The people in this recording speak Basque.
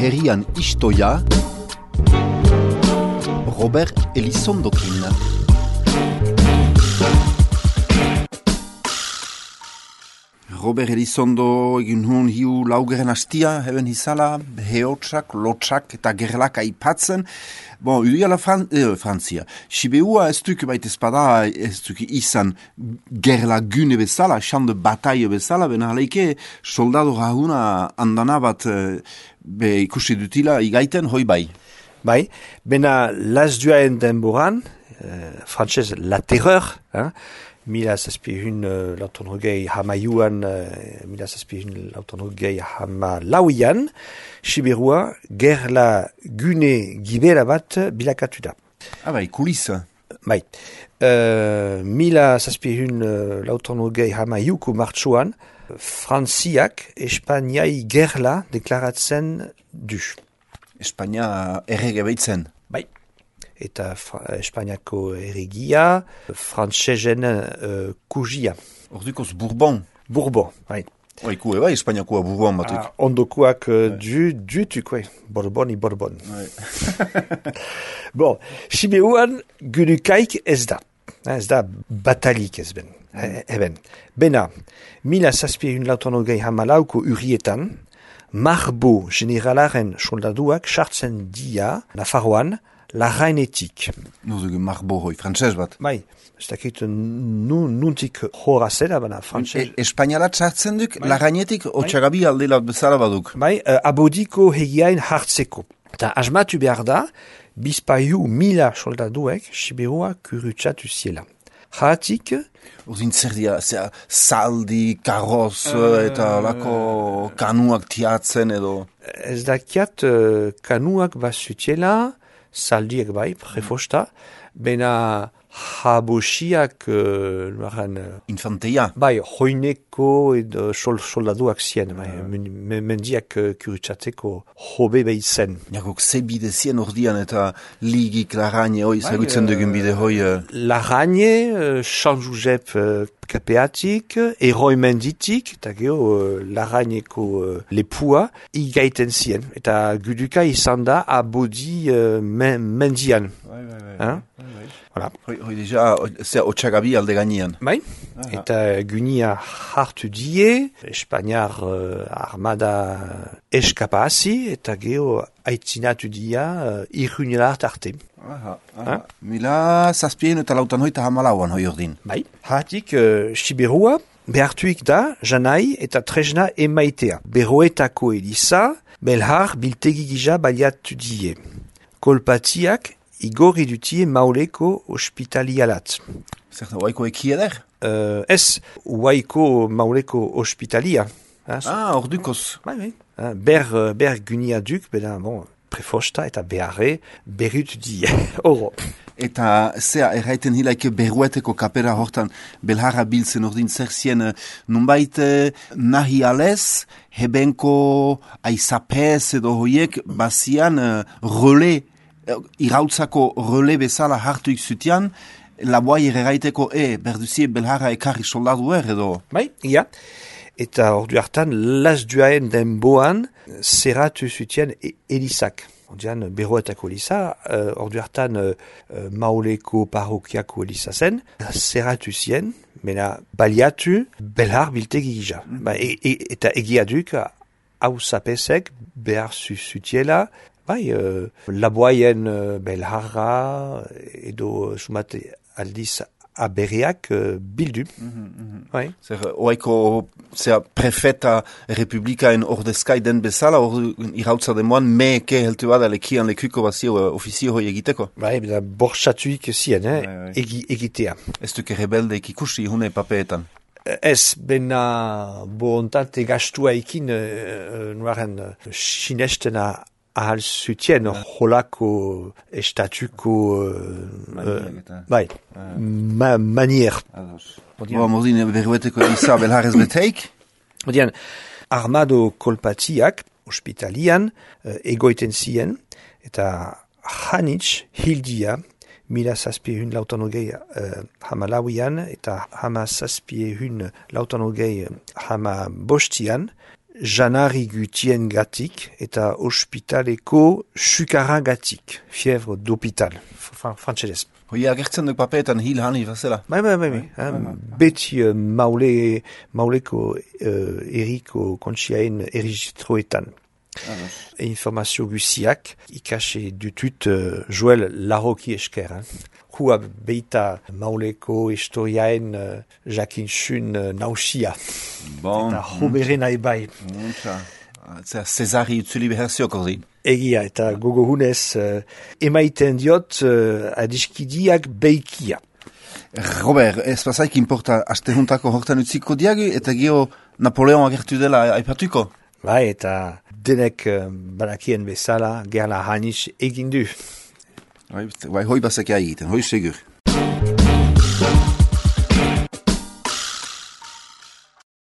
herrian istoia, Robert Elizondokin. Robert Elizondo egin hon hiu laugeren hastia, heben hizala, heotsak, lotsak eta gerlak aipatzen. Bon, udiala Frantzia. Sibeua ez duk baita espada, ez duk izan gerla gune bezala, xande bataille bezala, bena haleike soldado rahuna andana bat ikusi dutila igaiten hoi bai. Bai, bena las duaen denboran, frantzez la terreur, mila zazpihun lautonogei hamaiuan, mila zazpihun lautonogei hamalauian, Siberua gerla gune gibera bat bilakatu da. Bai, kulisa. Bai, mila zazpihun lautonogei hamaiuko martxuan, Frantziak Espainiai gerla deklaratzen du. Espainia errege baitzen. Bai. Eta Espainiako erregia, frantsezen kugia. Ordukoz Bourbon. Bourbon, bai. Oikue bai, Espainiakoa Bourbon batuk. Ondokoak dutuk, Bourbon i Bourbon. Bon, Sibeuan gunukaik ez da. Ez da batalik ez ben. Bena, mila zazpihun lautonogei hamalauko urrietan, Marbo generalaren soldaduak sartzen dia Nafarroan Larrainetik. Nozugu Marbo hoi, frantzez bat. Bai, ez dakit nuntik horra zela, baina frantzez. Espainialat sartzen duk, Larrainetik otxagabi aldelat bezala baduk. Bai, abodiko hegiain hartzeko. Eta asmatu behar da, bizpaiu mila soldaduek Siberua kurutsatu ziela. Jaratik, Urdin zer dira, saldi, karoz eta lako kanuak tiatzen edo. Ez dakiat kanuak bazutiela, saldiek bai, prefosta, bena jabosiak, infanteia. Bai, hoineko edo soldaduak zien, mendiak kurutsatzeko hobe behitzen. Jakok ze bide zien ordian eta ligik Larraine hoi, zagutzen dugun bide hoi. Larraine, San Josep kapeatik, Eroi menditik, eta geho Larraineko lepua, igaiten zien. Eta guduka izan da abodi mendian. Voilà. Hoi deja, otxagabi alde gainean. Bai, eta gunia hartu die, Espainiar armada eskapazi, eta geho aitzinatu dia irunelart arte. Mila zazpien eta lautan hoita hamalauan hoi ordin. Bai, hatik Siberua behartuik da janai eta tresna emaitea. Beroetako Eliza, belhar biltegi gija baliatu die. Kolpatiak igorri dutie mauleko ospitalialat. Zerta, oaiko ekieder? Ez, oaiko mauleko ospitalia. Ordukoz. Bai. Ber gunia duk, beda, prefosta eta beharre berut die. Oro. Eta zea, erraiten hilaike berueteko kapera hortan belharra biltzen ordin zer zien nunbait nahi alez, hebenko aizapez edo hoiek bazian role irautzako role bezala hartuik zutian, laboai erraiteko berduzie belharra ekarri soldadu edo. Bai, ia. Eta ordu hartan, las duaen denboan, zerratu zutien Elizak. Ordean, beroetako Eliza, ordu hartan mauleko parrokiako Eliza zen, zerratu zien, mena baliatu belhar biltegi gija. Eta egia duk, hau zapesek behar zutiela, bai, laboaien belharra edo sumate aldiz aberriak bildu. Bai. Zer, oaiko prefeta republikaen ordezkai den bezala, irautza demoan meke heltu bada lekian lekuko bazio ofizio hoi egiteko. Bai, beda borxatuik zien, egitea. Ez duke rebeldeik ikusi hune papeetan. Ez, bena bontate gastua ekin nuaren sinestena ahal zutien holako estatuko manier. Mordin berueteko Eliza belharrez beteik? Odian, armado kolpatiak ospitalian egoiten zien, eta hanitz hildia mila zazpiehun lautanogei hamalauian eta hama zazpiehun lautanogei hama bostian janari gutien gatik eta ospitaleko sukaragatik, fievre d'hôpital, frantxedez. Hoi agertzen duk papeetan hil hani bazela. Bai. Beti mauleko eriko kontxiaen erregistroetan. Informazio guziak ikase dutut Joel Larroki esker. Hua beita mauleko historiaen jakinsun nausia. Bon. Eta hoberen aibai. Cezari utzuli beherziok ordi. Egia eta gogohunez emaiten diot adiskidiak beikia. Robert, ez bazaik importa astehuntako hortan utziko diagi eta gio Napoleon agertu dela aipatuko? Bai, eta denek banakien bezala gerla hanis egin du. Bai, hoi bazak egiten, hoi segur.